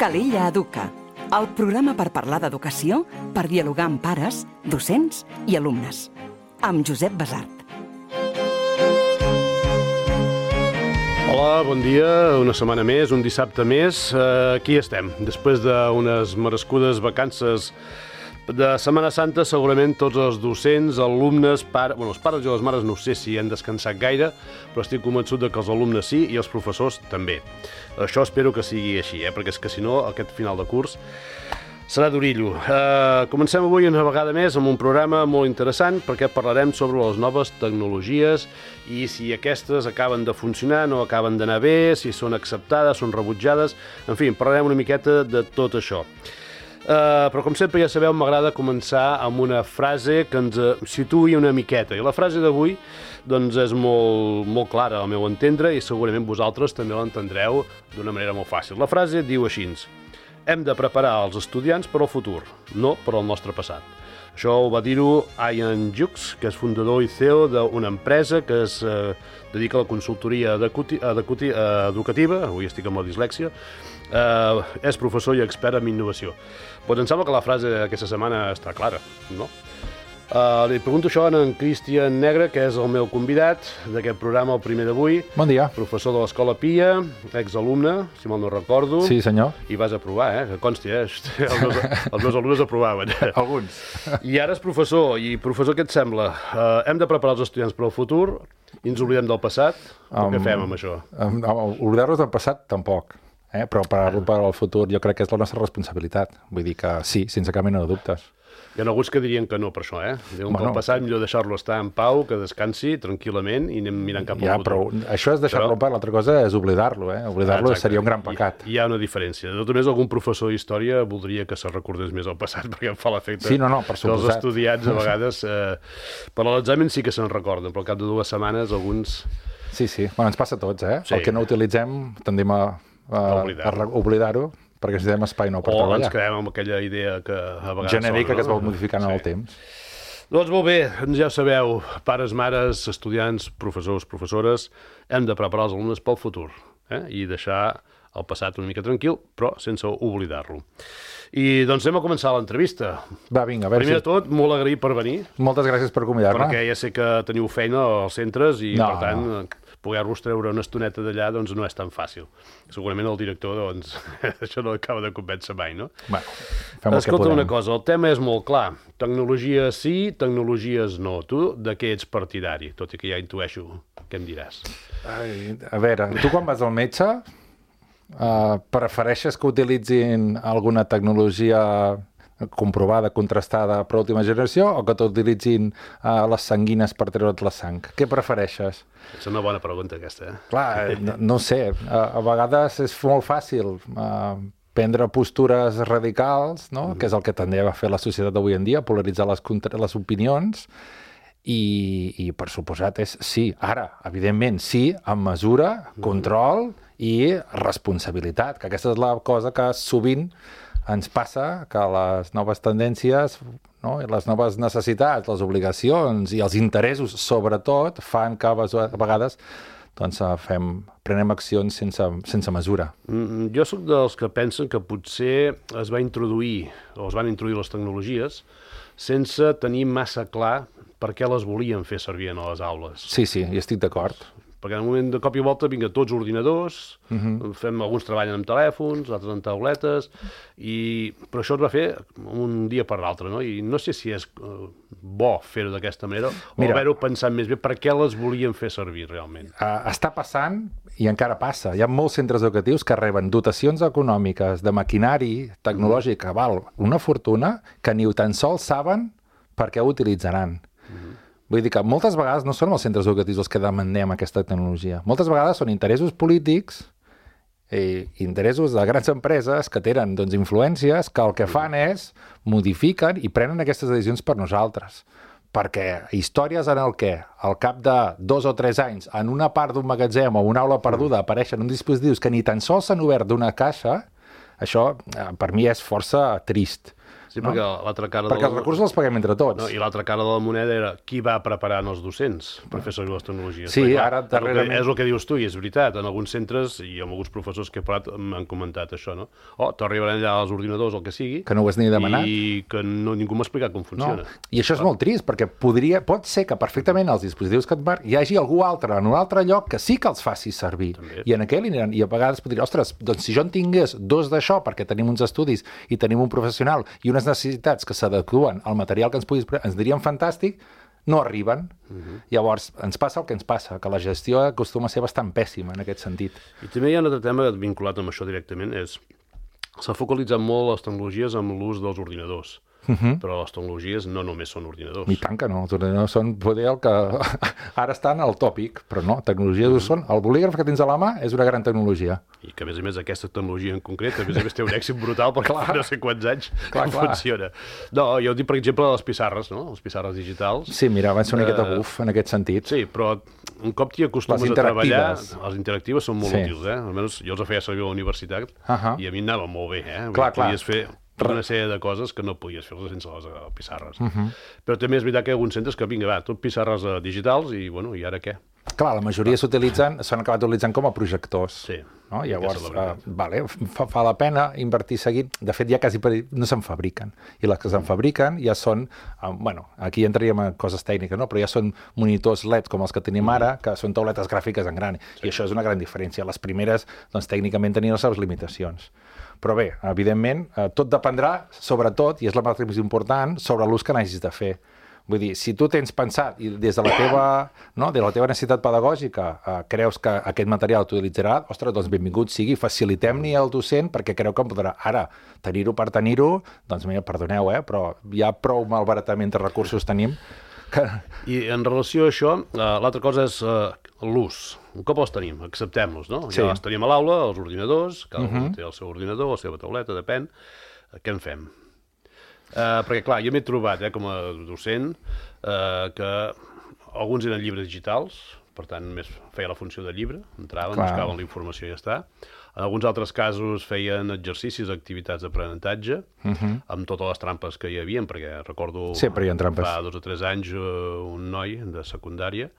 Calella Educa, el programa per parlar d'educació, per dialogar amb pares, docents i alumnes. Amb Josep Basart. Hola, bon dia, una setmana més, un dissabte més. Aquí estem, després d'unes merescudes vacances de Setmana Santa. Segurament tots els docents, alumnes, els pares i les mares no sé si han descansat gaire, però estic convençut que els alumnes sí i els professors també. Això espero que sigui així, perquè és que si no, aquest final de curs serà d'orillo. Comencem avui una vegada més amb un programa molt interessant perquè parlarem sobre les noves tecnologies i si aquestes acaben de funcionar, no acaben d'anar bé, si són acceptades, són rebutjades, en fi, parlarem una miqueta de tot això. Però com sempre ja sabeu, m'agrada començar amb una frase que ens situï una miqueta, i la frase d'avui doncs és molt clara al meu entendre i segurament vosaltres també l'entendreu d'una manera molt fàcil. La frase diu així: hem de preparar els estudiants per al futur, no per al nostre passat. Això ho va dir-ho Ian Jukes, que és fundador i CEO d'una empresa que es dedica a la consultoria educativa, avui estic amb la dislèxia, és professor i expert en innovació. Doncs em sembla que la frase d'aquesta setmana està clara, no? Li pregunto això a en Cristian Negre, que és el meu convidat d'aquest programa, el primer d'avui. Bon dia. Professor de l'Escola Pia, exalumne, si mal no recordo. Sí, senyor. I vas aprovar, que consti, els meus alumnes aprovaven. Alguns. I ara és professor, i professor, què et sembla? Hem de preparar els estudiants per al futur i ens oblidem del passat? O què fem amb això? Oblidar-nos del passat, tampoc. Però per al futur jo crec que és la nostra responsabilitat. Vull dir que sí, sense cap mena de dubtes. Hi ha alguns que dirien que no per això, Diuen que el passat millor deixar-lo estar en pau, que descansi tranquil·lament i anem mirant cap al futur. Però això és deixar-lo en pau, l'altra cosa és oblidar-lo, Oblidar-lo seria un gran pecat. Hi ha una diferència. De tot més, algun professor d'història voldria que se recordés més el passat, perquè em fa l'efecte que els estudiants a vegades per a l'examen sí que se'n recorden, però al cap de 2 setmanes alguns... Sí, bueno, ens passa a tots, Sí. El que no utilitzem tendim a oblidar-ho, perquè necessitem espai nou per treballar. O ens quedem amb aquella idea que a vegades... genèrica, que es va modificant en el temps. Doncs molt bé, ja sabeu, pares, mares, estudiants, professors, professores, hem de preparar els alumnes pel futur i deixar el passat una mica tranquil, però sense oblidar-lo. I doncs anem a començar l'entrevista. Va, vinga, a veure. Primer de tot, molt agraït per venir. Moltes gràcies per convidar-me. Perquè ja sé que teniu feina als centres i, per tant, poder-vos treure una estoneta d'allà doncs no és tan fàcil. Segurament el director, doncs, això no acaba de convèncer mai, no? Bueno, fem el que Escolta podem. una cosa, el tema és molt clar. Tecnologies sí, tecnologies no. Tu de què ets partidari? Tot i que ja intueixo què em diràs. A veure, tu quan vas al metge prefereixes que utilitzin alguna tecnologia comprovada, contrastada per última generació o que t'utilitzin les sanguines per treure't la sang? Què prefereixes? És una bona pregunta aquesta, Clar, no sé. A vegades és molt fàcil prendre postures radicals, no? Que és el que tendeix a fer la societat d'avui en dia, polaritzar les opinions i per suposat és sí. Ara, evidentment, sí, amb mesura, control i responsabilitat, que aquesta és la cosa que sovint ens passa, que les noves tendències, no? I les noves necessitats, les obligacions i els interessos, sobretot, fan que a vegades doncs, prenem accions sense mesura. Jo sóc dels que pensen que potser es van introduir les tecnologies sense tenir massa clar per què les volien fer servir a les aules. Sí, hi estic d'acord. Perquè en un moment de cop i volta vinga tots ordinadors, alguns treballen amb telèfons, altres amb tauletes, però això es va fer un dia per l'altre, no? I no sé si és bo fer-ho d'aquesta manera o haver-ho pensat més bé per què les volien fer servir realment. Està passant i encara passa. Hi ha molts centres educatius que reben dotacions econòmiques de maquinari tecnològic que val una fortuna que ni tan sols saben per què ho utilitzaran. Vull dir que moltes vegades no són els centres educatius els que demandem aquesta tecnologia. Moltes vegades són interessos polítics i interessos de grans empreses que tenen influències que el que fan és modifiquen i prenen aquestes decisions per nosaltres. Perquè històries en el què, al cap de 2 o 3 anys, en una part d'un magatzem o una aula perduda apareixen uns dispositius que ni tan sols s'han obert d'una caixa, això per mi és força trist. Sí, perquè l'altra cara perquè els recursos els paguem entre tots. I l'altra cara de la moneda era qui va preparant els docents per fer servir les tecnologies. Sí, clar, ara darrerament... És el que dius tu, i és veritat. En alguns centres i amb alguns professors que he parlat m'han comentat això, no? T'arribaran allà els ordinadors, el que sigui... Que no ho has ni demanat. I que ningú m'ha explicat com funciona. No. I això és molt trist, perquè pot ser que perfectament els dispositius que et marc hi hagi algú altre en un altre lloc que sí que els faci servir. També. I en aquell aniran, i a vegades podria, ostres, doncs si jo en tingués 2 d'això, perquè tenim uns estudis i tenim un professional i unes necessitats que s'adeqüen al material que ens dirien fantàstic, no arriben. Llavors, ens passa el que ens passa, que la gestió acostuma a ser bastant pèssima en aquest sentit. I també hi ha un altre tema vinculat amb això directament, s'ha focalitzat molt les tecnologies amb l'ús dels ordinadors. Però les tecnologies no només són ordinadors. I tant que no, els ordinadors són poder el que ara estan al tòpic, però no, tecnologies ho són. El bolígraf que tens a la mà és una gran tecnologia. I que, a més aquesta tecnologia en concret, a més té un èxit brutal perquè fa no sé quants anys funciona. No, jo dic, per exemple, les pissarres, no? Les pissarres digitals. Sí, mira, van ser una miqueta buf en aquest sentit. Sí, però un cop t'hi acostumes a treballar, les interactives són molt útils, Almenys jo els feia servir a la universitat i a mi anava molt bé, Podies fer una sèrie de coses que no podies fer sense les pissarres. Però també és veritat que hi ha alguns centres que, vinga, tot pissarres digitals i, bueno, i ara què? Clar, la majoria s'han acabat utilitzant com a projectors. Sí. No? Llavors, fa la pena invertir seguint. De fet, ja quasi no se'n fabriquen. I les que se'n fabriquen ja són, aquí entraríem en coses tècniques, no? Però ja són monitors LED com els que tenim ara, que són tauletes gràfiques en gran. I això és una gran diferència. Les primeres, doncs, tècnicament tenien les seves limitacions. Però bé, evidentment, tot dependrà, sobretot, i és la part més important, sobre l'ús que n'hagis de fer. Vull dir, si tu tens pensat i des de la teva necessitat pedagògica creus que aquest material t'utilitzarà, ostres, doncs benvingut sigui, facilitem-ni al docent perquè creu que em podrà. Ara, tenir-ho per tenir-ho, doncs mira, perdoneu, però ja prou malbaratament de recursos tenim. I en relació a això, l'altra cosa és l'ús. Un cop els tenim, acceptem-los, no? Ja els tenim a l'aula, els ordinadors, cada un té el seu ordinador, la seva tauleta, depèn. Què en fem? Perquè, clar, jo m'he trobat, com a docent, que alguns eren llibres digitals, per tant, només feia la funció de llibre, entraven, buscaven la informació i ja està. En alguns altres casos feien exercicis, activitats d'aprenentatge, amb totes les trampes que hi havia, perquè recordo fa 2 o 3 anys un noi de secundària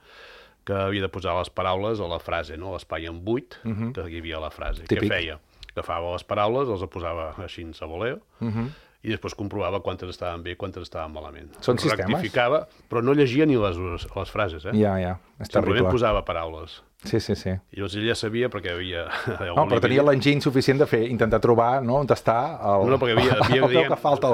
que havia de posar les paraules a la frase, no? L'espai en buit que hi havia a la frase. Què feia? Agafava les paraules, els posava així a voleo, i després comprovava quantes estaven bé i quantes estaven malament. Són sistemes? Rectificava, però no llegia ni les frases, Ja, és terrible. Simplement posava paraules. Sí. I llavors ell ja sabia perquè havia... No, però tenia l'enginy suficient de intentar trobar, no?, on està el... No, perquè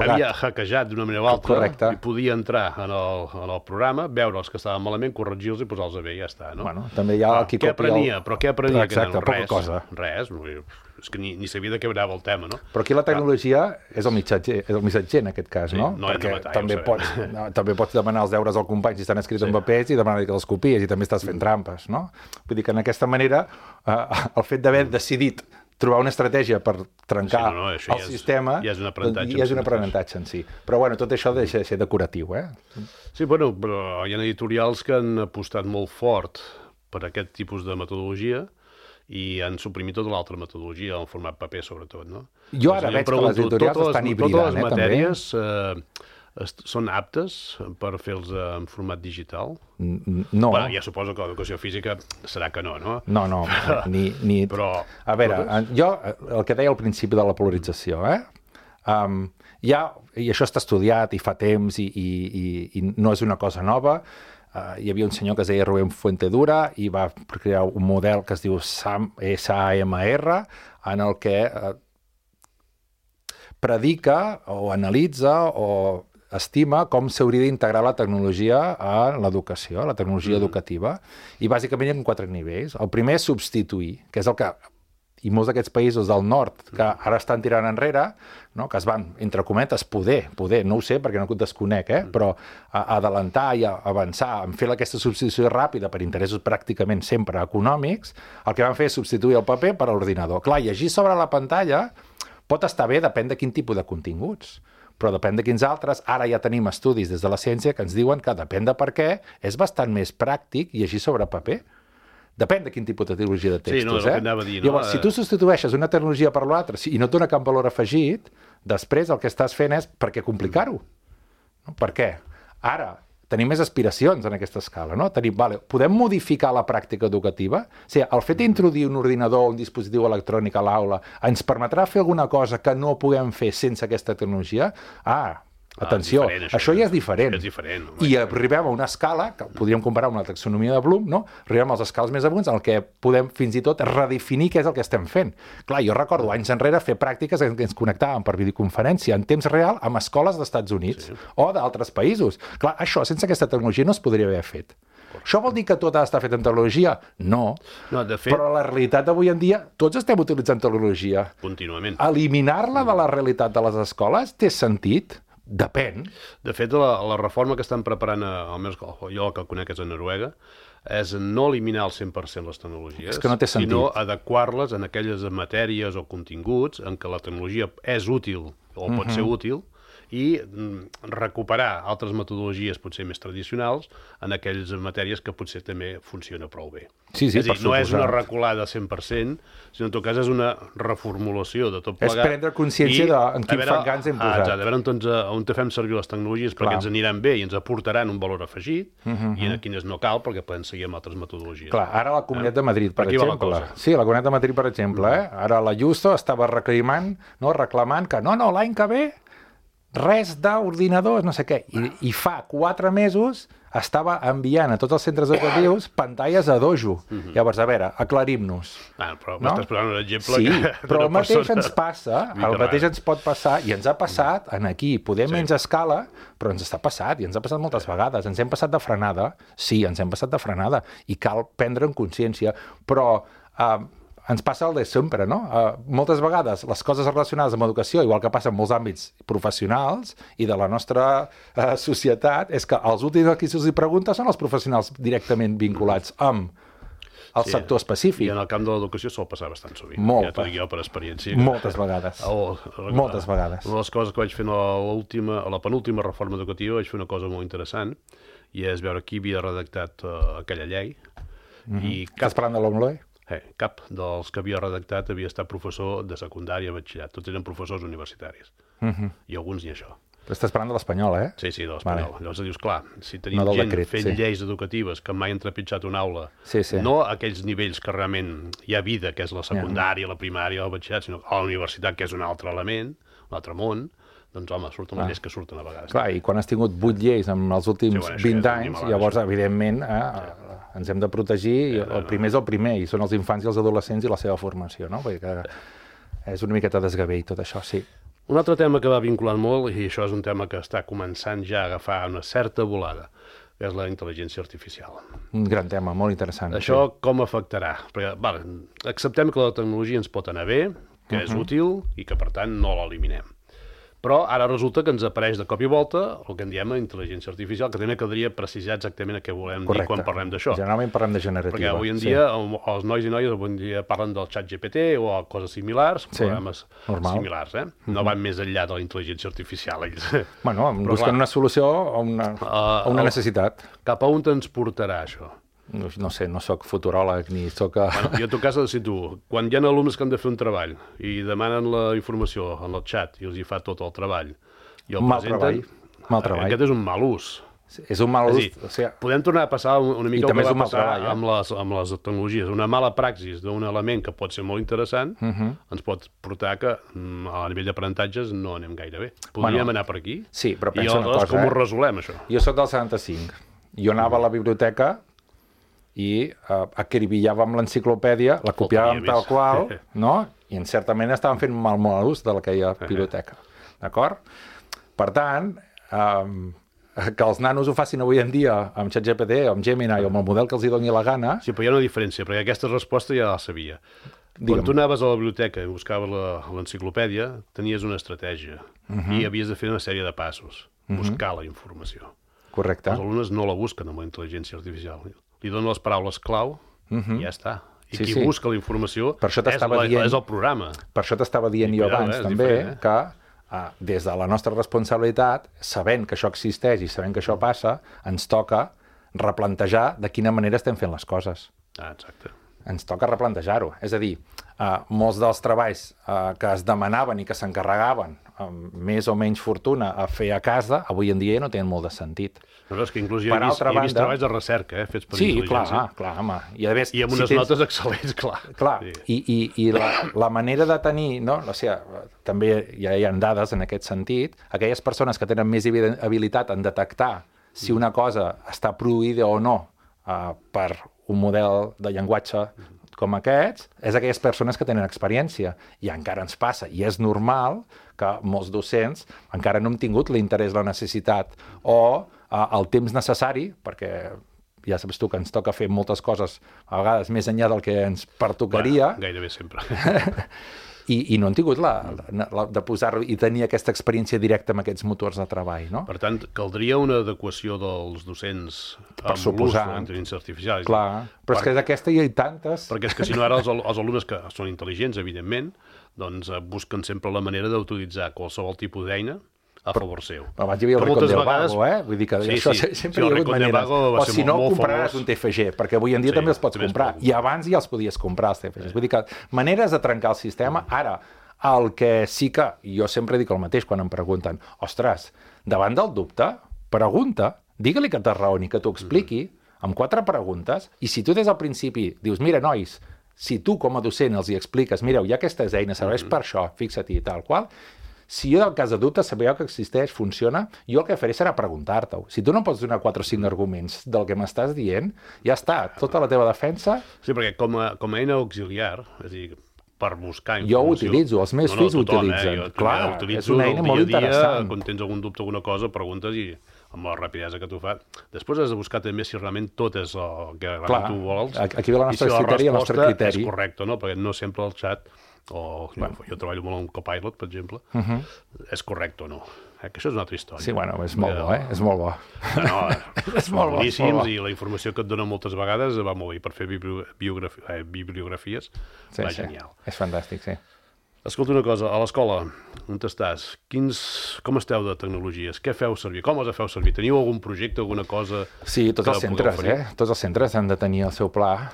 havia hackejat d'una manera o altra i podia entrar en el programa, veure els que estaven malament, corregir-los i posar-los bé i ja està, no? Bueno, també hi ha qui copia... Què aprenia? Exacte, poca cosa. Res, és que ni sabia de què anava el tema, no? Però aquí la tecnologia és el missatger en aquest cas, no? No hem de matar, també pots demanar els deures al company si estan escrits en papers i demanar que els copies i també estàs fent trampes, no? Vull dir que en aquesta manera el fet d'haver decidit trobar una estratègia per trencar el sistema ja és un aprenentatge en si. Però bueno, tot això deixa de ser decoratiu, Sí, bueno, però hi ha editorials que han apostat molt fort per aquest tipus de metodologia i han suprimit tota l'altra metodologia, en format paper, sobretot, no? Jo ara veig que les editorials estan hibridant, totes les matèries són aptes per fer-los en format digital? No. Bueno, ja suposo que l'educació física serà que no? No, ni... Però... A veure, jo, el que deia al principi de la polarització, i això està estudiat i fa temps i no és una cosa nova. Hi havia un senyor que es deia Rubén Fuentedura i va crear un model que es diu SAMR, en el que predica o analitza o estima com s'hauria d'integrar la tecnologia a l'educació, la tecnologia educativa, i bàsicament hi ha 4 nivells. El primer és substituir, que és el que i molts d'aquests països del nord que ara estan tirant enrere, no? Que es van, entre cometes, poder, no ho sé perquè no ho desconec, però adelantar i avançar en fer aquesta substitució ràpida per interessos pràcticament sempre econòmics, el que van fer és substituir el paper per l'ordinador. Clar, llegir sobre la pantalla pot estar bé, depèn de quin tipus de continguts, però depèn de quins altres. Ara ja tenim estudis des de la ciència que ens diuen que depèn de per què és bastant més pràctic llegir sobre paper. Depèn de quin tipus de tecnologia de textos, Sí, no, és el que anava a dir, no? Llavors, si tu substitueixes una tecnologia per l'altra i no et dona cap valor afegit, després el que estàs fent és per què complicar-ho? No? Per què? Ara, tenim més aspiracions en aquesta escala, no? Podem modificar la pràctica educativa? O sigui, el fet d'introduir un ordinador o un dispositiu electrònic a l'aula ens permetrà fer alguna cosa que no puguem fer sense aquesta tecnologia? Atenció, això ja és diferent. És diferent. I arribem a una escala, que podríem comparar amb la taxonomia de Bloom, no? Arribem als escales més amunt en què podem fins i tot redefinir què és el que estem fent. Clar, jo recordo anys enrere fer pràctiques en què ens connectàvem per videoconferència en temps real amb escoles d'Estats Units o d'altres països. Clar, això sense aquesta tecnologia no es podria haver fet. Això vol dir que tot ha d'estar fet en tecnologia? No. De fet, però la realitat d'avui en dia, tots estem utilitzant tecnologia. Contínuament. Eliminar-la de la realitat de les escoles té sentit? Depèn. De fet, la reforma que estan preparant, almenys jo el que conec és a Noruega, és no eliminar al 100% les tecnologies, és que no té sentit. Sinó adequar-les en aquelles matèries o continguts en què la tecnologia és útil o pot ser útil, i recuperar altres metodologies potser més tradicionals en aquelles matèries que potser també funciona prou bé. Sí, és a dir, no és una reculada 100%, sinó en tot cas és una reformulació de tot plegat. És prendre consciència en quin fangans hem posat. A veure on fem servir les tecnologies perquè ens aniran bé i ens aportaran un valor afegit i en quines no cal perquè podem seguir amb altres metodologies. Clar, ara la Comunitat de Madrid, per exemple. Sí, la Comunitat de Madrid, per exemple. Ara la Justo estava reclamant que no, l'any que ve res d'ordinadors, no sé què. I fa 4 mesos estava enviant a tots els centres educatius pantalles a dojo. Llavors, a veure, aclarim-nos. Però m'estàs posant un exemple però el mateix ens passa, el mateix ens pot passar, i ens ha passat aquí. Podem menys escala, però ens està passat, i ens ha passat moltes vegades. Ens hem passat de frenada, ens hem passat de frenada, i cal prendre en consciència, però ens passa el de sempre, no? Moltes vegades les coses relacionades amb educació, igual que passa en molts àmbits professionals i de la nostra societat, és que els últims a qui se'ls pregunta són els professionals directament vinculats amb el sector específic. I en el camp de l'educació sol passar bastant sovint. Molt. Ja t'ho dic jo per experiència. Moltes vegades. Moltes vegades. Una de les coses que vaig fer a la penúltima reforma educativa vaig fer una cosa molt interessant, i és veure qui havia redactat aquella llei. Estàs parlant de l'OMLOE? Cap dels que havia redactat havia estat professor de secundària, batxillerat. Tots eren professors universitaris. I alguns ni això. Però estàs parlant de l'espanyol, eh? Sí, de l'espanyol. Llavors dius, clar, si tenim gent fent lleis educatives que mai han trepitjat una aula, no a aquells nivells que realment hi ha vida, que és la secundària, la primària, el batxillerat, sinó a la universitat, que és un altre element, un altre món, doncs, home, surten les lleis que surten a vegades. Clar, i quan has tingut 8 lleis en els últims 20 anys, llavors, evidentment, ens hem de protegir, el primer és el primer, i són els infants i els adolescents i la seva formació, no? Perquè és una miqueta desgavell tot això, sí. Un altre tema que va vinculant molt, i això és un tema que està començant ja a agafar una certa volada, que és la intel·ligència artificial. Un gran tema, molt interessant. Això com afectarà? Perquè, acceptem que la tecnologia ens pot anar bé, que és útil i que, per tant, no l'eliminem. Però ara resulta que ens apareix de cop i volta el que en diem intel·ligència artificial, que també caldria precisar exactament a què volem dir quan parlem d'això. Generalment parlem de generativa. Perquè avui en dia els nois i noies avui en dia parlen del xat GPT o coses similars, programes similars, No van més enllà de la intel·ligència artificial, ells. Bueno, busquen una solució a una necessitat. Cap a on ens portarà això? No sé, no sóc futuròleg ni sóc... Jo en tot cas si tu, quan hi ha alumnes que han de fer un treball i demanen la informació en el xat i els hi fa tot el treball i el presenten... Mal treball. Aquest és un mal ús. És un mal ús. Podem tornar a passar una mica el que va passar amb les tecnologies. Una mala praxis d'un element que pot ser molt interessant ens pot portar que a nivell d'aprenentatges no anem gaire bé. Podríem anar per aquí? Sí, però pensa una cosa. Com ho resolem, això? Jo soc del 75. Jo anava a la biblioteca i acribillàvem l'enciclopèdia, la copiàvem tal qual, no? I en certament estàvem fent mal ús de aquella biblioteca. D'acord? Per tant, que els nanos ho facin avui en dia amb ChatGPT, amb Gemini o amb el model que els hi doni la gana... Sí, però hi ha una diferència, perquè aquesta resposta ja la sabia. Quan tu anaves a la biblioteca i buscaves l'enciclopèdia, tenies una estratègia i havies de fer una sèrie de passos, buscar la informació. Correcte. Els alumnes no la busquen amb la intel·ligència artificial. Li donen les paraules clau i ja està. I qui busca la informació és el programa. Per això t'estava dient jo abans també que des de la nostra responsabilitat, sabent que això existeix i sabent que això passa, ens toca replantejar de quina manera estem fent les coses. Exacte. Ens toca replantejar-ho. És a dir, molts dels treballs que es demanaven i que s'encarregaven amb més o menys fortuna a fer a casa, avui en dia no tenen molt de sentit. No, és que inclús hi he vist treballs de recerca, fets per intel·ligència. Sí, clar, home. I amb unes notes excel·lents, clar. Clar, i la manera de tenir, no? O sigui, també ja hi ha dades en aquest sentit, aquelles persones que tenen més habilitat en detectar si una cosa està produïda o no per un model de llenguatge com aquests, és aquelles persones que tenen experiència. I encara ens passa, i és normal que molts docents encara no hem tingut l'interès, la necessitat o el temps necessari, perquè ja saps tu que ens toca fer moltes coses a vegades més enllà del que ens pertocaria. Bueno, gairebé sempre. I no han tingut de posar-ho i tenir aquesta experiència directa amb aquests motors de treball, no? Per tant, caldria una adequació dels docents per suposar l'ús de l'intel·ligència artificial. Clar, però és que d'aquesta hi ha tantes. Perquè és que si no ara els alumnes que són intel·ligents, evidentment, doncs busquen sempre la manera d'utilitzar qualsevol tipus d'eina a favor seu. Abans hi havia el Ricón del Vago, Vull dir que això sempre hi ha hagut maneres. O si no, compraràs un TFG, perquè avui en dia també els pots comprar. I abans ja els podies comprar, els TFGs. Vull dir que maneres de trencar el sistema. Ara, el que sí que jo sempre dic el mateix quan em pregunten, ostres, davant del dubte, pregunta, digue-li que t'arraoni, que t'ho expliqui, amb 4 preguntes, i si tu des del principi dius, mira, nois, si tu com a docent els hi expliques, mireu, hi ha aquestes eines, serveix per això, fixa-t'hi, tal qual. Si jo, del cas de dubte, sabeu que existeix, funciona, jo el que faré serà preguntar-t'ho. Si tu no pots donar 4 o 5 arguments del que m'estàs dient, ja està, tota la teva defensa... Sí, perquè com a eina auxiliar, és a dir, per buscar informació... Jo ho utilitzo, els meus fills ho utilitzen. Clar, és una eina molt interessant. Quan tens algun dubte o alguna cosa, preguntes i amb la rapidesa que tu fas. Després has de buscar també si realment tot és el que realment tu vols. Aquí ve la nostra criteri i el nostre criteri. És correcte, no? Perquè no sempre el xat... jo treballo molt amb Copilot, per exemple, és correcte o no. Que això és una altra història. Sí, bueno, és molt bo, És molt bo. No, és molt boníssims, i la informació que et dona moltes vegades va molt bé per fer bibliografies. Va genial. És fantàstic, sí. Escolta una cosa, a l'escola, on estàs? Com esteu de tecnologies? Què feu servir? Com les feu servir? Teniu algun projecte, alguna cosa? Sí, tots els centres, Tots els centres han de tenir el seu pla.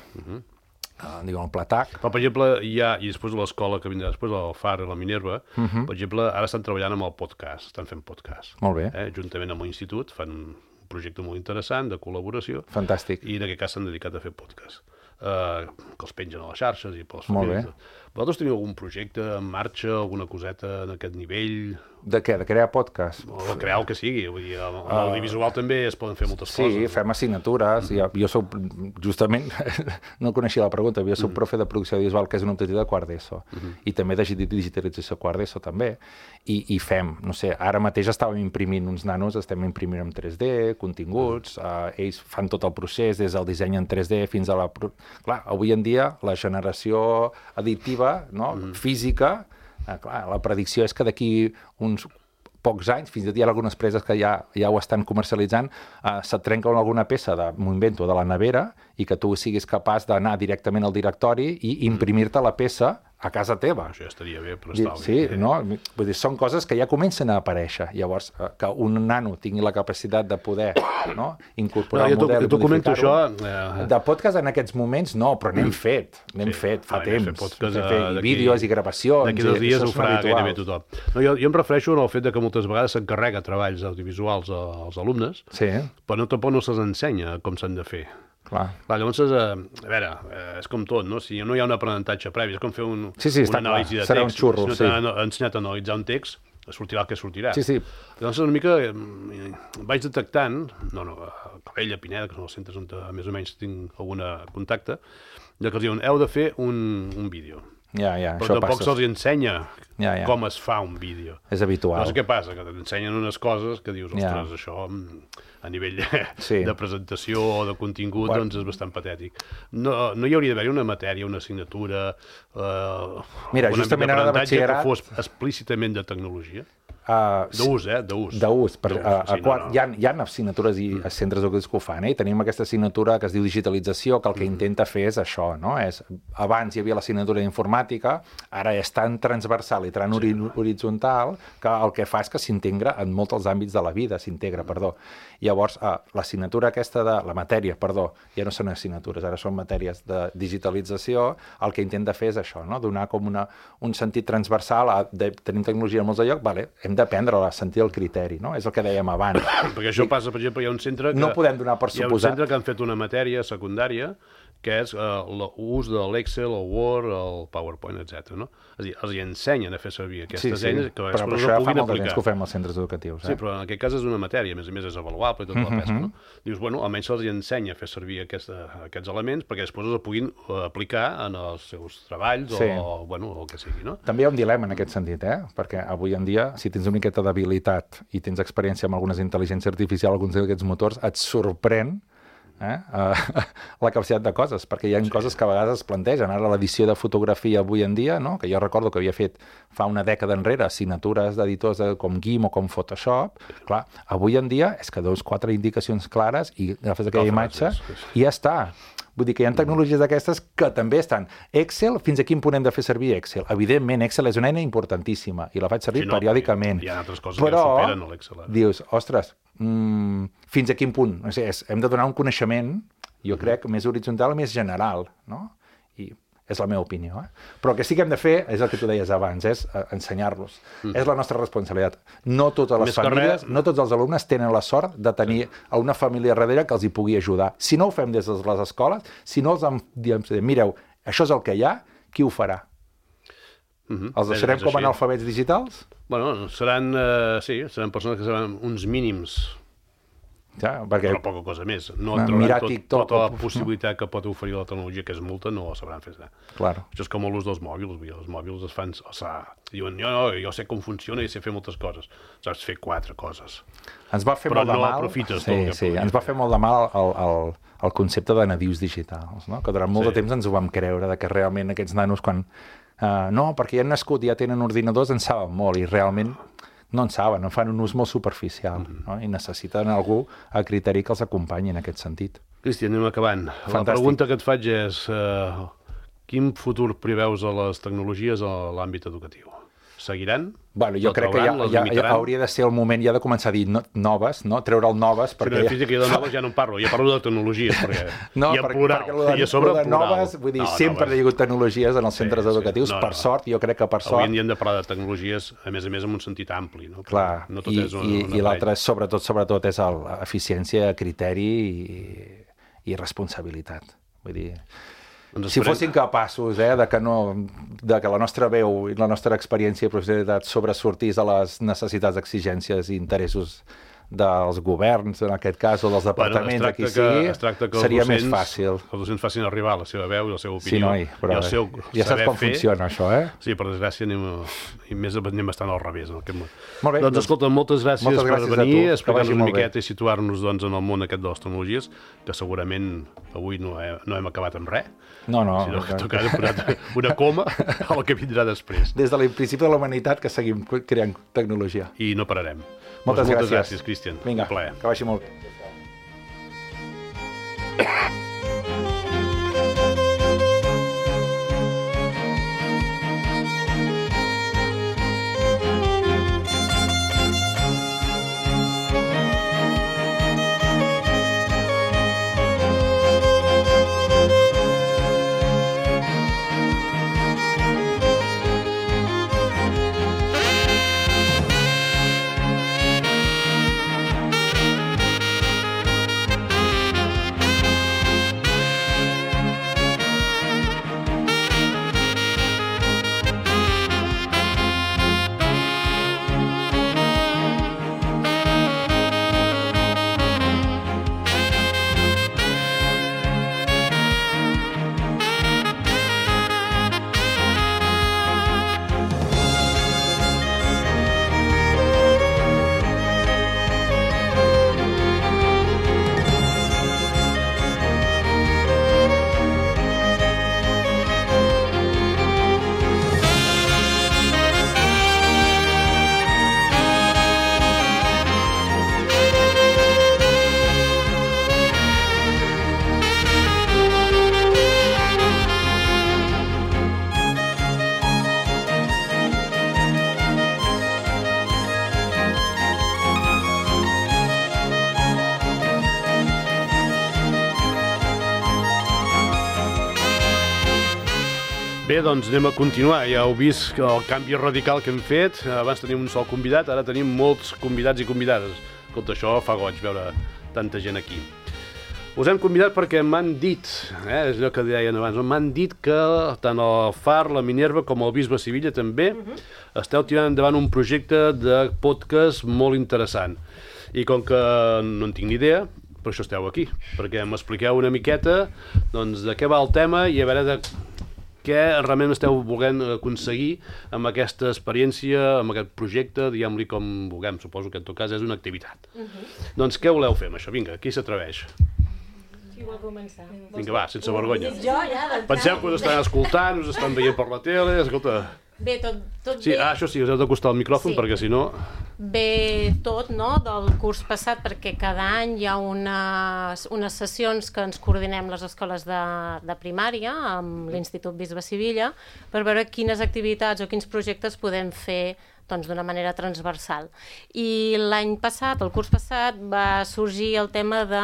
Diguem, el pla TAC. Però, per exemple, i després de l'escola que vindrà després, el FAR i la Minerva, per exemple, ara estan treballant amb el podcast, estan fent podcast. Molt bé. Juntament amb l'institut, fan un projecte molt interessant de col·laboració. Fantàstic. I en aquest cas s'han dedicat a fer podcast, que els pengen a les xarxes i pels Molt bé. Vosaltres teniu algun projecte en marxa, alguna coseta en aquest nivell? De què? De crear podcast? O de crear el que sigui. Vull dir, amb l'audiovisual també es poden fer moltes coses. Sí, fem assignatures. Jo soc, justament, no coneixia la pregunta, jo soc profe de producció audiovisual, que és una optativa de quart d'ESO. I també de digitalització quart d'ESO, també. I fem, no sé, ara mateix estàvem imprimint uns nanos, estem imprimint en 3D, continguts, ells fan tot el procés, des del disseny en 3D fins a la... Clar, avui en dia la generació additiva, física, clar, la predicció és que d'aquí uns pocs anys, fins i tot hi ha algunes empreses que ja ho estan comercialitzant, se't trenca alguna peça m'ho invento, de la nevera, i que tu siguis capaç d'anar directament al directori i imprimir-te la peça a casa teva. Això ja estaria bé, però està bé. Sí, no? Vull dir, són coses que ja comencen a aparèixer. Llavors, que un nano tingui la capacitat de poder incorporar el model i modificar-ho. De podcast en aquests moments no, però n'hem fet fa temps. I vídeos i gravacions. D'aquí 2 dies ho farà gairebé tothom. Jo em refereixo al fet que moltes vegades s'encarrega treballs audiovisuals als alumnes, però tampoc no se'ls ensenya com s'han de fer. Clar, llavors, a veure, és com tot, no? Si no hi ha un aprenentatge previ, és com fer una anàlisi de text. Serà un xurro, si no t'han ensenyat a analitzar un text, sortirà el que sortirà. Sí. Llavors, una mica vaig detectant, a Calella, Pineda, que són els centres on més o menys tinc algun contacte, que els diuen, heu de fer un vídeo. Però tampoc se'ls ensenya com es fa un vídeo. És habitual. No sé què passa, que t'ensenyen unes coses que dius, ostres, això a nivell de presentació o de contingut doncs és bastant patètic. No hi hauria d'haver una matèria, una assignatura, un àmbit d'aprenentatge que fos explícitament de tecnologia? D'ús, d'ús. D'ús. Hi ha assignatures i centres educatius que ho fan, i tenim aquesta assignatura que es diu digitalització, que el que intenta fer és això, no? Abans hi havia l'assignatura d'informàtica, ara és tan transversal i tan horitzontal que el que fa és que s'integra en molts dels àmbits de la vida, Llavors, l'assignatura aquesta la matèria, ja no són assignatures, ara són matèries de digitalització, el que intenta fer és això, no? Donar com un sentit transversal, tenim tecnologia en molts de llocs, hem d'aprendre a sentir el criteri, no? És el que dèiem abans. Perquè això passa, per exemple, hi ha un centre que... No podem donar per suposat. Hi ha un centre que han fet una matèria secundària que és l'ús de l'Excel, el Word, el PowerPoint, etc. No? És a dir, els ensenyen a fer servir aquestes eines que després ho puguin aplicar. Que ho fem als centres educatius. Sí, però en aquest cas és una matèria, a més és avaluable i tota la pesca. No? Dius, bueno, almenys se'ls ensenya a fer servir aquests elements perquè després els puguin aplicar en els seus treballs o el que sigui. No? També hi ha un dilema en aquest sentit, perquè avui en dia, si tens una miqueta d'habilitat i tens experiència amb algunes intel·ligències artificials, alguns d'aquests motors, et sorprèn la capacitat de coses, perquè hi ha coses que a vegades es plantegen. Ara l'edició de fotografia avui en dia, no? Que jo recordo que havia fet fa una dècada enrere assignatures d'editors com GIMP o com Photoshop, clar, avui en dia és que veus 4 indicacions clares i agafes aquella imatge i ja està. Vull dir que hi ha tecnologies d'aquestes que també estan. Excel, fins a quin punt hem de fer servir Excel? Evidentment, Excel és una eina importantíssima i la faig servir periòdicament. Hi ha altres coses que superen l'Excel. Dius, ostres, fins a quin punt? No sé, hem de donar un coneixement, jo crec, més horitzontal, més general, no? I és la meva opinió. Però el que sí que hem de fer, és el que tu deies abans, és ensenyar-los. És la nostra responsabilitat. No totes les famílies, no tots els alumnes tenen la sort de tenir una família darrere que els hi pugui ajudar. Si no ho fem des de les escoles, si no els diem, mireu, això és el que hi ha, qui ho farà? Els deixarem com analfabets digitals? Bueno, seran persones que seran uns mínims, però poca cosa més. No trobaran tota la possibilitat que pot oferir la tecnologia, que és molta, no la sabran fer. Això és com l'ús dels mòbils. Els mòbils es fan... Diuen, jo sé com funciona i sé fer moltes coses. Saps fer 4 coses. Ens va fer molt de mal... Però no aprofites tot el que podries. Ens va fer molt de mal el concepte de nadius digitals, que durant molt de temps ens ho vam creure, que realment aquests nanos, quan... No, perquè ja han nascut, ja tenen ordinadors, en saben molt, i realment... no en saben, en fan un ús molt superficial, no? I necessiten algú a criteri que els acompanyi en aquest sentit. Cristian, anem acabant. Fantàstic. La pregunta que et faig és quin futur preveus a les tecnologies a l'àmbit educatiu? Seguiran? Bueno, jo crec que ja hauria de ser el moment ja de començar a dir noves, no? Treure'l noves, perquè... Sí, física, jo de noves ja no en parlo, ja parlo de tecnologies, perquè hi ha plural, i a sobre plural. Noves, vull dir, sempre hi ha hagut tecnologies en els centres educatius, per sort, jo crec que per sort... Avui en dia hem de parlar de tecnologies, a més en un sentit ampli, no? Clar, i l'altre, sobretot, és eficiència, criteri i responsabilitat. Vull dir... Si fossin capaços de que la nostra veu i la nostra experiència i professionalitat sobresortís a les necessitats, exigències i interessos dels governs, en aquest cas, o dels departaments, de qui sigui, seria més fàcil. Que els docents facin arribar la seva veu i la seva opinió. Sí, noi, però ja saps com funciona això, Sí, per desgràcia anem bastant al revés en aquest moment. Molt bé. Doncs escolta, moltes gràcies per venir, explicar-nos una miqueta i situar-nos en el món aquest de les tecnologies, que segurament avui no hem acabat amb res. No. Sinó que tocarà posar una coma al que vindrà després. Des de l'principi de la humanitat que seguim creant tecnologia. I no pararem. Moltes gràcies, Cristian. Vinga, que vagi molt bé. Bé, doncs anem a continuar. Ja heu vist el canvi radical que hem fet. Abans teníem un sol convidat, ara tenim molts convidats i convidades. Escolta, això fa goig veure tanta gent aquí. Us hem convidat perquè m'han dit, és allò que deien abans, m'han dit que tant el FAR, la Minerva, com el Bisbe Sevilla també esteu tirant endavant un projecte de podcast molt interessant. I com que no en tinc ni idea, per això esteu aquí, perquè m'expliqueu una miqueta doncs, de què va el tema i a veure de què realment esteu volent aconseguir amb aquesta experiència, amb aquest projecte, diguem-li com vulguem, suposo que en tot cas és una activitat. Doncs què voleu fer amb això? Vinga, qui s'atreveix? Qui vol començar? Vinga, va, sense vergonya. Jo ja, Penseu que us estan escoltant, us estan veient per la tele, escolta... Bé, tot Sí, bé. això sí, us heu d'acostar al micròfon, Sí. perquè si no... Bé tot, no?, del curs passat, perquè cada any hi ha unes sessions que ens coordinem les escoles de primària amb l'Institut Bisbe Sevilla per veure quines activitats o quins projectes podem fer doncs, d'una manera transversal. I l'any passat, el curs passat, va sorgir el tema de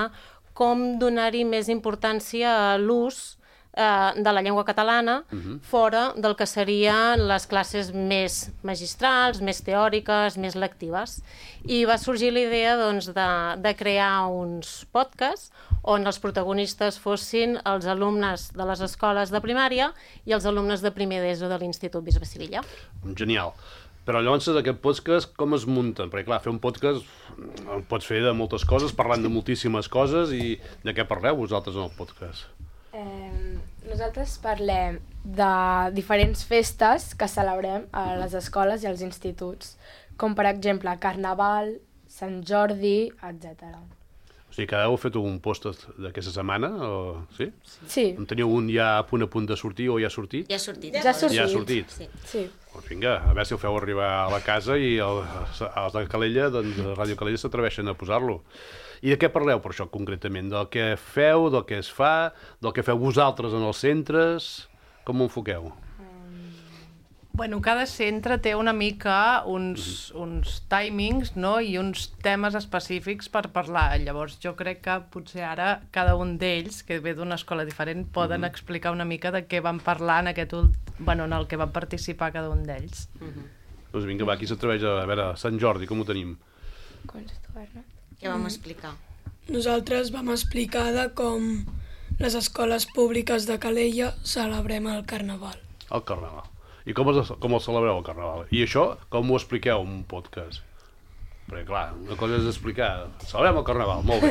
com donar-hi més importància a l'ús de la llengua catalana fora del que serien les classes més magistrals, més teòriques, més lectives. I va sorgir la idea doncs, de crear uns podcasts on els protagonistes fossin els alumnes de les escoles de primària i els alumnes de primer d'ESO de l'Institut Bisbe Sevilla. Genial. Però llavors aquest podcast com es munten? Perquè clar, fer un podcast el pots fer de moltes coses, parlant de moltíssimes coses, i de què parleu vosaltres en el podcast? Nosaltres parlem de diferents festes que celebrem a les escoles i als instituts, com per exemple Carnaval, Sant Jordi, etc. O sigui, que heu fet un post d'aquesta setmana, o... sí? Sí, En teniu un ja a punt de sortir o ja ha sortit? Ja ha sortit. ja ha sortit. Ja ha sortit. Sí. Sí. Doncs vinga, a veure si el feu arribar a la casa i els de Calella, doncs de Ràdio Calella s'atreveixen a posar-lo. I de què parleu per això concretament? Del que feu, del que es fa, del que feu vosaltres en els centres? Com ho enfoqueu? Bueno, cada centre té una mica uns timings, no?, i uns temes específics per parlar. Llavors jo crec que potser ara cada un d'ells, que ve d'una escola diferent, poden explicar una mica de què van parlar en en el que van participar cada un d'ells. Doncs vinga, va, qui s'atreveix a veure Sant Jordi, com ho tenim? Què vam explicar? Nosaltres vam explicar de com les escoles públiques de Calella celebrem el Carnaval. El Carnaval. I com el celebreu, el Carnaval? I això, com ho expliqueu en un podcast? Perquè, clar, una cosa és explicar, celebrem el Carnaval, molt bé,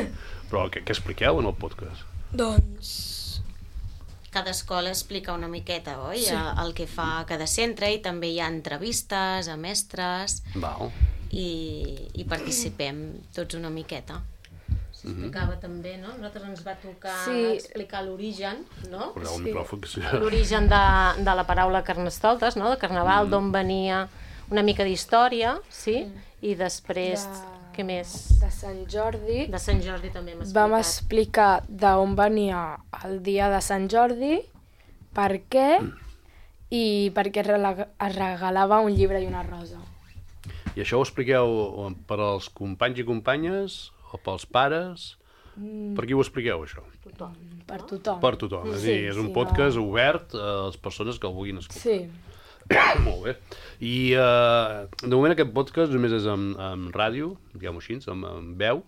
però què expliqueu en el podcast? Doncs Cada escola explica una miqueta, oi? Sí. El que fa cada centre, i també hi ha entrevistes a mestres Val. i participem tots una miqueta. S'explicava també, no? A nosaltres ens va tocar Sí. explicar l'origen, no? Poseu el micròfon, que sí. L'origen de la paraula Carnestoltes, no?, de Carnaval, d'on venia una mica d'història, sí? I després, què més? De Sant Jordi De Sant Jordi també hem vam explicat. explicar d'on venia el dia de Sant Jordi, per què i per què es regalava un llibre i una rosa. I això ho expliqueu per als companys i companyes o pels pares? Per qui ho expliqueu, això? Per tothom. Per tothom. És a dir, és un podcast obert a les persones que el vulguin escoltar. Sí. Molt bé. I de moment aquest podcast només és en ràdio, diguem-ho així, en veu.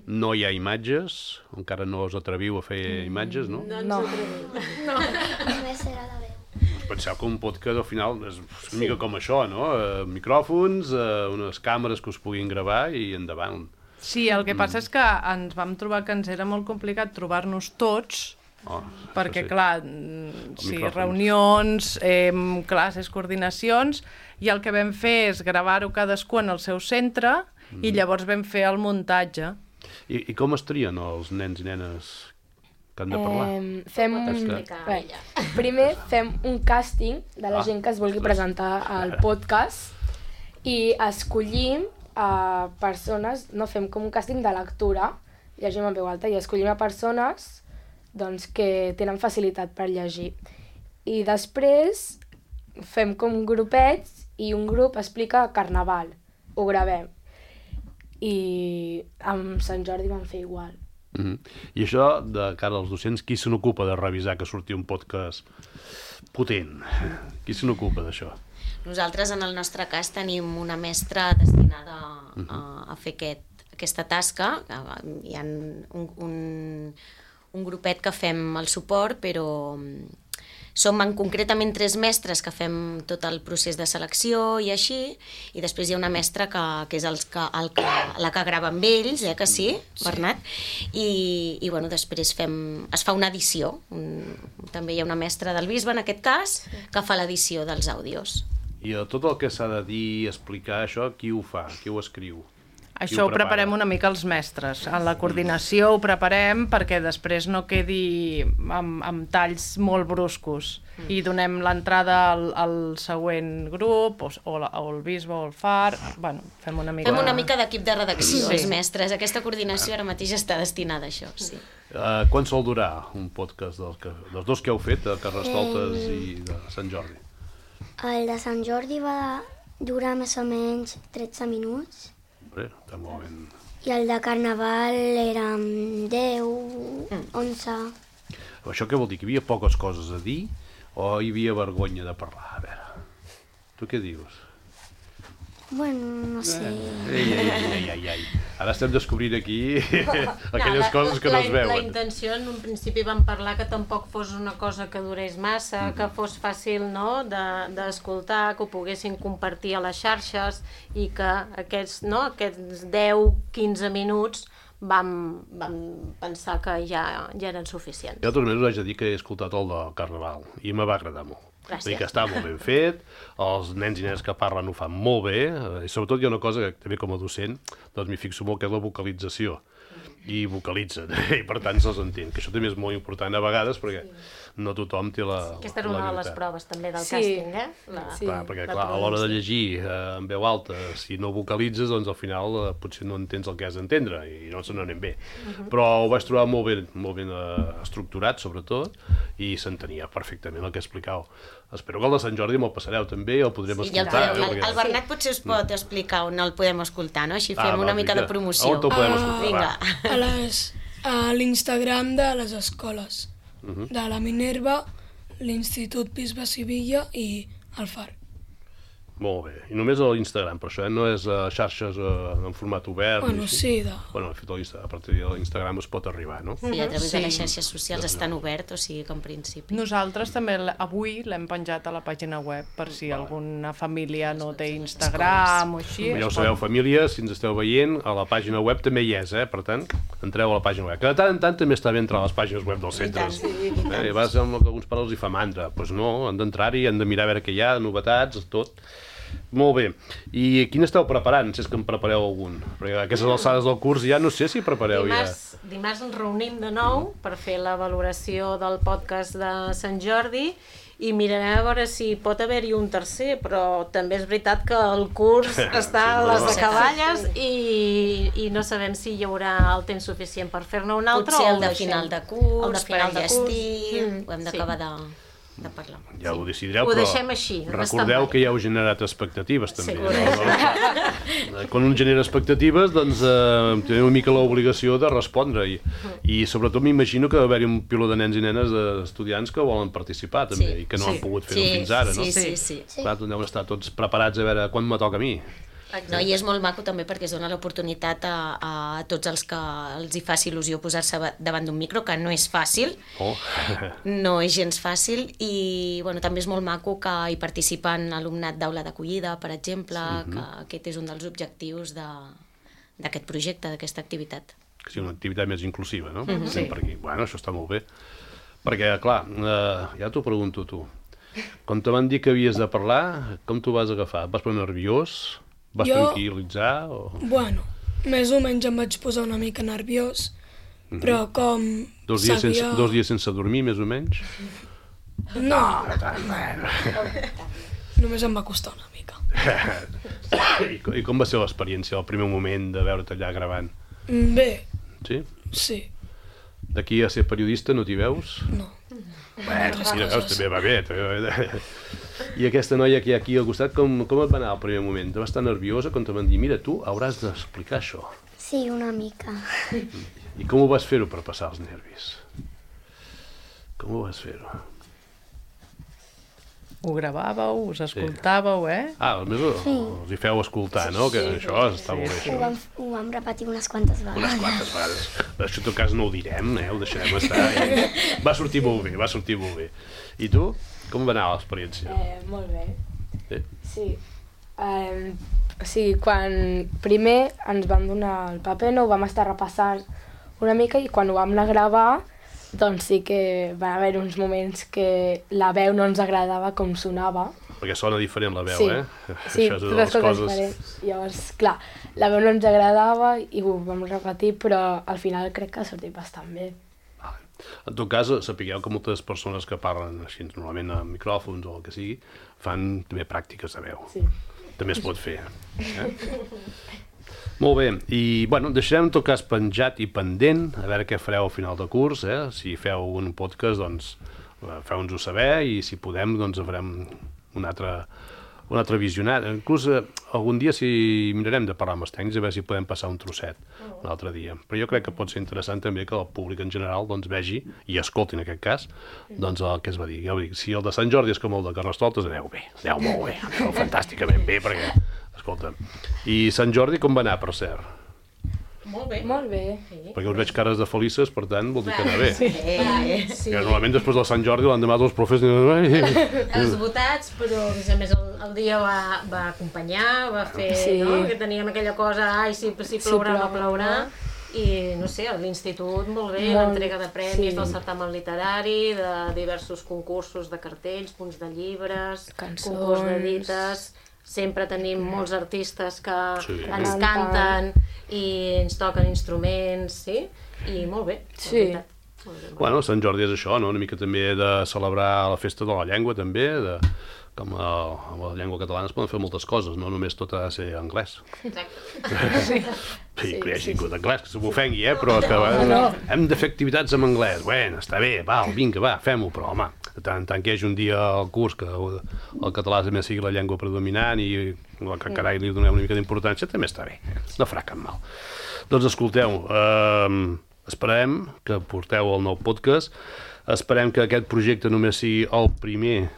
No hi ha imatges, encara no us atreviu a fer imatges, no? No. Només serà de veu. Penseu que un podcast al final és una mica com això, no? Micròfons, unes càmeres que us puguin gravar i endavant. Sí, el que passa és que ens vam trobar que ens era molt complicat trobar-nos tots, perquè, clar, sí, micròfons. reunions, classes, coordinacions, i el que vam fer és gravar-ho cadascú en el seu centre i llavors vam fer el muntatge. I com es trien els nens i nenes que han de parlar? Primer fem un càsting de la gent que es vulgui presentar al podcast i escollim a persones, no, fem com un càsting de lectura, llegim en veu alta, i escollim a persones doncs, que tenen facilitat per llegir. I després fem com grupets i un grup explica Carnaval, ho gravem. I amb Sant Jordi vam fer igual. I això, de cara als docents, qui se n'ocupa de revisar que surti un podcast potent? Qui se n'ocupa d'això? Nosaltres, en el nostre cas, tenim una mestra destinada a fer aquesta tasca. Hi ha un grupet que fem el suport, però som concretament 3 mestres que fem tot el procés de selecció i així, i després hi ha una mestra que és la que grava amb ells, que sí, Bernat? I bueno, després es fa una edició. També hi ha una mestra del Bisbe, en aquest cas, que fa l'edició dels àudios. I tot el que s'ha de dir, explicar això, qui ho fa? Qui ho escriu? Això ho preparem una mica els mestres. En la coordinació ho preparem perquè després no quedi amb talls molt bruscos i donem l'entrada al següent grup, o el Bisbe o el FAR. Bueno, fem una mica d'equip de redacció, els mestres. Aquesta coordinació ara mateix està destinada a això, sí. Quan sol durar un podcast dels dos que heu fet, de Carnestoltes i de Sant Jordi? El de Sant Jordi va durar més o menys 13 minuts. Està molt ben... I el de Carnaval eren 10, 11... Això què vol dir? Que hi havia poques coses a dir o hi havia vergonya de parlar? A veure, tu què dius? Bueno, no sé... Ai. Ara estem descobrint aquí aquelles coses que no es veuen. La intenció, en un principi vam parlar que tampoc fos una cosa que durés massa, que fos fàcil d'escoltar, que ho poguessin compartir a les xarxes i que aquests 10-15 minuts vam pensar que ja eren suficients. Jo també us haig de dir que he escoltat el del Carnaval i me va agradar molt. Gràcies. Que està molt ben fet, els nens i nenes que parlen ho fan molt bé, i sobretot hi ha una cosa que també com a docent doncs m'hi fixo molt, que és la vocalització. I vocalitzen, i per tant se'ls entén, que això també és molt important a vegades perquè no tothom té la Aquesta era una de les proves també del càsting, Perquè clar, a l'hora de llegir en veu alta, si no vocalitzes, doncs al final potser no entens el que has d'entendre i no se n'anem bé. Però ho vaig trobar molt ben estructurat, sobretot, i s'entenia perfectament el que explicàveu. Espero que el de Sant Jordi me'l passareu també i el podrem escoltar. El Bernat potser us pot explicar on el podem escoltar, no? Així fem una mica de promoció. On el podem escoltar? A l'Instagram de les escoles, de la Minerva, l'Institut Bisbe Sivilla i el FAR. Molt bé. I només a l'Instagram, per això no és xarxes en format obert? Bueno, sí. Bueno, a partir de l'Instagram es pot arribar, no? Sí, a través de les xarxes socials estan obert, o sigui que en principi... Nosaltres també avui l'hem penjat a la pàgina web per si alguna família no té Instagram o així. Ja ho sabeu, família, si ens esteu veient, a la pàgina web també hi és, per tant, entreu a la pàgina web. Que de tant en tant també està bé entrar a les pàgines web dels centres. I a vegades alguns pares els hi fa mandra. Doncs no, han d'entrar-hi, han de mirar a veure què hi ha, novetats, tot. Molt bé. I quin esteu preparant, si és que en prepareu algun? Perquè a aquestes alçades del curs ja no sé si prepareu Dimarts ens reunim de nou per fer la valoració del podcast de Sant Jordi i mirarem a veure si pot haver-hi un tercer, però també és veritat que el curs està a les acaballes i no sabem si hi haurà el temps suficient per fer-ne un altre. Potser el de final de curs, per enllestir, ho hem d'acabar de parlar. Ja ho decidireu, ho deixem així. Recordeu que ja heu generat expectatives també. Quan un genera expectatives, doncs teniu una mica l'obligació de respondre i sobretot m'imagino que va haver-hi un piló de nens i nenes estudiants que volen participar també i que no han pogut fer-ho fins ara, no? Sí. Clar, deuen estar tots preparats a veure quan me toca a mi. No, i és molt maco també perquè es dona l'oportunitat a tots els que els hi faci il·lusió posar-se davant d'un micro, que no és fàcil, no és gens fàcil, i bueno, també és molt maco que hi participen alumnat d'aula d'acollida, per exemple, que aquest és un dels objectius d'aquest projecte, d'aquesta activitat. Que sigui una activitat més inclusiva, no? Sí. Per aquí. Bueno, això està molt bé. Perquè, clar, ja t'ho pregunto tu. Quan te van dir que havies de parlar, com t'ho vas agafar? Vas posar nerviós? Vas tranquil·litzar? Bueno, més o menys em vaig posar una mica nerviós, però com sabia... 2 dies sense dormir, més o menys? No. Només em va costar una mica. I com va ser l'experiència, el primer moment de veure't allà gravant? Bé. Sí? Sí. D'aquí a ser periodista no t'hi veus? No. Bueno, si veus, també va bé. I aquesta noia que hi ha aquí al costat, com et va anar al primer moment? Va estar nerviosa quan te van dir, mira, tu hauràs d'explicar això. Sí, una mica. I com ho vas fer-ho per passar els nervis? Com ho vas fer-ho? Ho gravàveu, us escoltàveu, Almenys els hi feu escoltar, no? Que això està molt bé, això. Ho vam repetir unes quantes vegades. Unes quantes vegades. Això en tot cas no ho direm, ho deixarem estar. Va sortir molt bé. I tu? Com va anar l'experiència? Molt bé. Sí? Sí. Quan primer ens van donar el paper, no ho vam estar repassant una mica i quan ho vam anar a gravar, doncs sí que van haver uns moments que la veu no ens agradava com sonava. Perquè sona diferent la veu, Sí, això és totes coses diferents. Llavors, clar, la veu no ens agradava i ho vam repetir, però al final crec que ha sortit bastant bé. En tot cas, sapigueu que moltes persones que parlen així, normalment amb micròfons o el que sigui, fan també pràctiques de veu. Sí. També es pot fer. Molt bé, i bueno, deixarem en tot cas penjat i pendent, a veure què fareu al final de curs, si feu un podcast, doncs feu-nos-ho saber i si podem, doncs farem un altre visionat. Inclús algun dia mirarem de parlar amb els tècnics a veure si podem passar un trosset un altre dia. Però jo crec que pot ser interessant també que el públic en general doncs, vegi i escolti en aquest cas doncs, el que es va dir. Ja ho dic, si el de Sant Jordi és com el de Carnestoltes, aneu bé, aneu molt bé, aneu fantàsticament bé perquè... Escolta, i Sant Jordi com va anar, per cert? Molt bé. Molt bé. Perquè us veig cares de felices, per tant, vol dir que anar bé. Sí. Que normalment després del Sant Jordi, l'endemà dels profes... Esgotats, però a més el dia va acompanyar, va fer, no? Que teníem aquella cosa, si plourà, no plourà. I, no sé, a l'institut molt bé, l'entrega de premis del certamen literari, de diversos concursos de cartells, punts de llibres, concurs de dites... Sempre tenim molts artistes que ens canten i ens toquen instruments, sí? I molt bé, sí. Bueno, Sant Jordi és això, no? Una mica també de celebrar la festa de la llengua, també, com amb la llengua catalana es poden fer moltes coses, no només tot ha de ser anglès. Exacte. Sí, que hi hagi vingut anglès, que se m'ofengui, però que hem de fer activitats en anglès. Bueno, està bé, vinga, fem-ho, però home, tant que hi hagi un dia al curs que el català també sigui la llengua predominant i que carai li donem una mica d'importància, també està bé, no farà cap mal. Doncs escolteu, esperem que porteu el nou podcast, esperem que aquest projecte només sigui el primer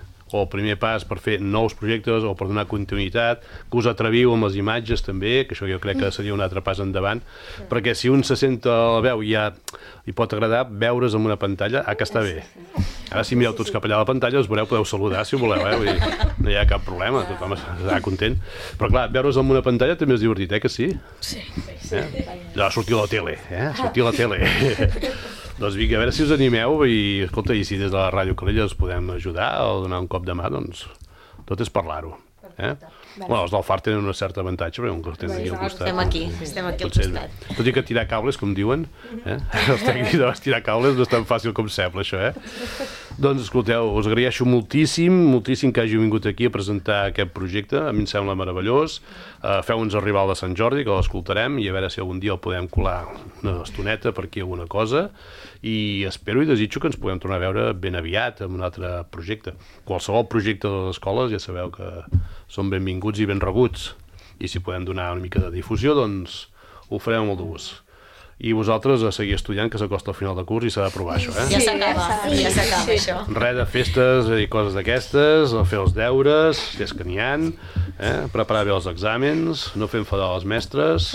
pas per fer nous projectes o per donar continuïtat, que us atreviu amb les imatges també, que això jo crec que seria un altre pas endavant, perquè si un se senta a la veu i ja li pot agradar veure's en una pantalla, que està bé. Ara si mireu tots cap allà a la pantalla us veureu, podeu saludar si voleu, vull dir, no hi ha cap problema, tothom estarà content. Però clar, veure's en una pantalla també és divertit, que sí? Sí. Ja, sortir a la tele, sortir a la tele. Doncs vinga, a veure si us animeu i, escolta, i si des de la Ràdio Calella us podem ajudar o donar un cop de mà, doncs tot és parlar-ho. Bueno, els del FAR tenen un cert avantatge, perquè un que els tenen aquí al costat. Estem aquí al costat. Tot i que tirar cables, com diuen, els tècnics de tirar cables no és tan fàcil com sembla, això, Doncs, escolteu, us agraeixo moltíssim que hàgiu vingut aquí a presentar aquest projecte, a mi em sembla meravellós. Feu-nos arribar al de Sant Jordi, que l'escoltarem, i a veure si algun dia el podem colar una estoneta per aquí alguna cosa, i espero i desitjo que ens puguem tornar a veure ben aviat amb un altre projecte. Qualsevol projecte de les escoles ja sabeu que són benvinguts i ben rebuts, i si podem donar una mica de difusió, doncs ho farem amb molt de gust. I vosaltres a seguir estudiant, que s'acosta al final de curs i s'ha d'aprovar això, Ja s'acaba això. Res de festes i coses d'aquestes, fer els deures, si és que n'hi ha, preparar bé els exàmens, no fer enfadar les mestres.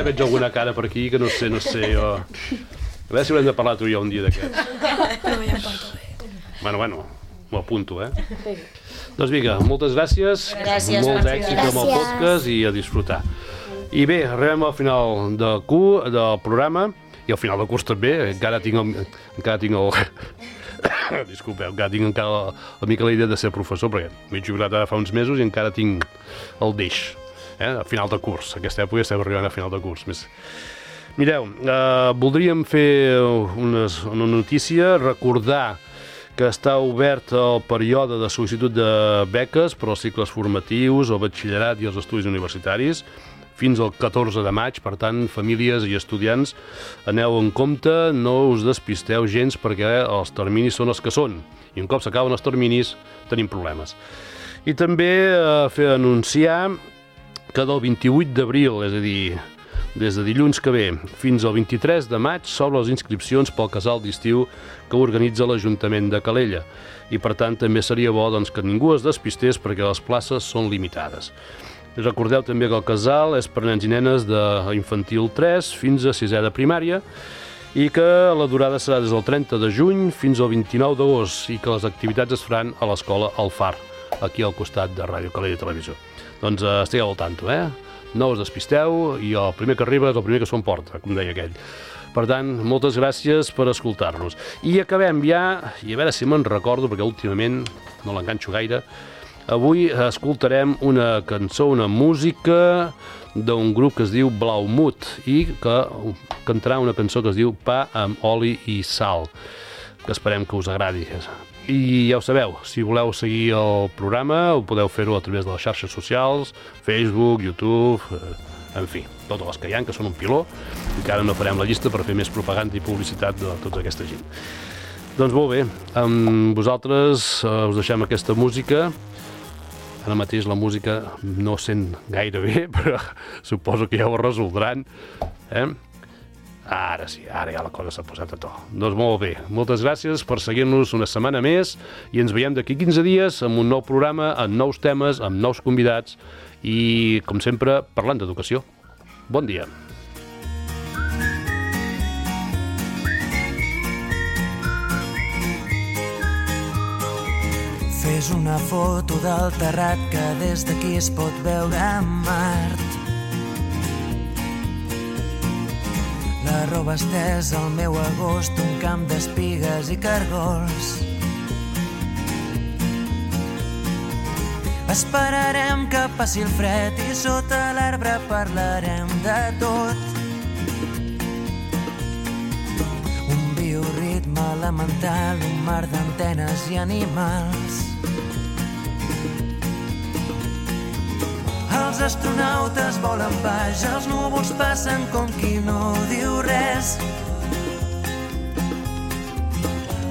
Veig alguna cara per aquí que no sé, jo. A veure si haurem de parlar tu i jo un dia d'aquests. Però ja em porto bé. Bueno, m'ho apunto, Doncs vinga, moltes gràcies. Molt d'èxit amb el podcast i a disfrutar. I bé, arribem al final del programa i al final del curs també. Encara tinc el... Disculpeu, encara tinc una mica la idea de ser professor, perquè m'he jubilat ara fa uns mesos i encara tinc el deix. A final de curs, aquesta època estem arribant a final de curs. Mireu, voldríem fer una notícia, recordar que està obert el període de sol·licitud de beques per als cicles formatius, el batxillerat i els estudis universitaris, fins al 14 de maig. Per tant, famílies i estudiants, aneu en compte, no us despisteu gens perquè els terminis són els que són. I un cop s'acaben els terminis, tenim problemes. I també anunciar que del 28 d'abril, és a dir, Des de dilluns que ve fins al 23 de maig s'obren les inscripcions pel casal d'estiu que organitza l'Ajuntament de Calella i per tant també seria bo que ningú es despistés perquè les places són limitades. Recordeu també que el casal és per nens i nenes d'infantil 3 fins a 6è de primària i que la durada serà des del 30 de juny fins al 29 d'agost i que les activitats es faran a l'escola El Far, aquí al costat de Ràdio Calella Televisió. Doncs estigueu al tanto, No us despisteu i el primer que arriba és el primer que s'ho emporta, com deia aquell. Per tant, moltes gràcies per escoltar-nos. I acabem ja, i a veure si me'n recordo, perquè últimament no l'enganxo gaire, avui escoltarem una cançó, una música d'un grup que es diu Blaumut i que cantarà una cançó que es diu Pa amb oli i sal, que esperem que us agradi. I ja ho sabeu, si voleu seguir el programa ho podeu fer-ho a través de les xarxes socials, Facebook, YouTube, en fi, totes les que hi ha, que són un piló, i que ara no farem la llista per fer més propaganda i publicitat de tota aquesta gent. Doncs molt bé, amb vosaltres us deixem aquesta música. Ara mateix la música no sent gaire bé, però suposo que ja ho resoldran. Ara sí, ara ja la cosa s'ha posat a to. Doncs molt bé, moltes gràcies per seguir-nos una setmana més i ens veiem d'aquí 15 dies amb un nou programa, amb nous temes, amb nous convidats i, com sempre, parlant d'educació. Bon dia. Fes una foto del terrat que des d'aquí es pot veure Mart. La roba estesa al meu agost, un camp d'espigues i cargols. Esperarem que passi el fred i sota l'arbre parlarem de tot. Un bioritme elemental, un mar d'antenes i animals. Els astronautes volen baix, els núvols passen com qui no diu res.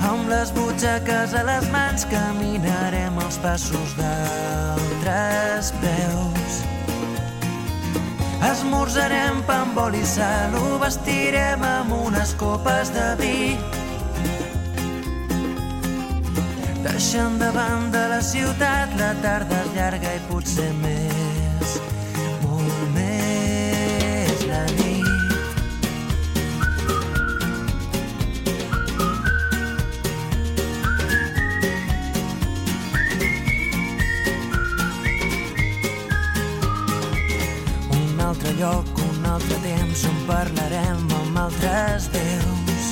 Amb les butxaques a les mans caminarem els passos d'altres peus. Esmorzarem pa amb oli i sal, ho vestirem amb unes copes de vi. Deixant de banda la ciutat, la tarda és llarga i potser més, molt més la nit. Un altre lloc, un altre temps on parlarem amb altres déus.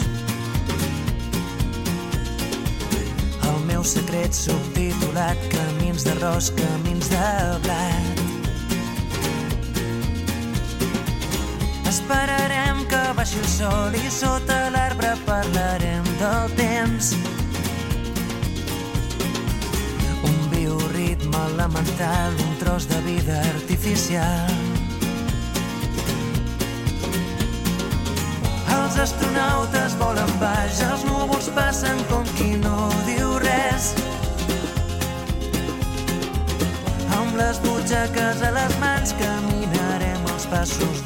El meu secret subtitulat, camins d'arròs, camins de blat. Esperarem que baixi el sol i sota l'arbre parlarem del temps. Un bioritme elemental, un tros de vida artificial. Els astronautes volen baix, els núvols passen com qui no diu res. Amb les butxaques a les mans caminarem els passos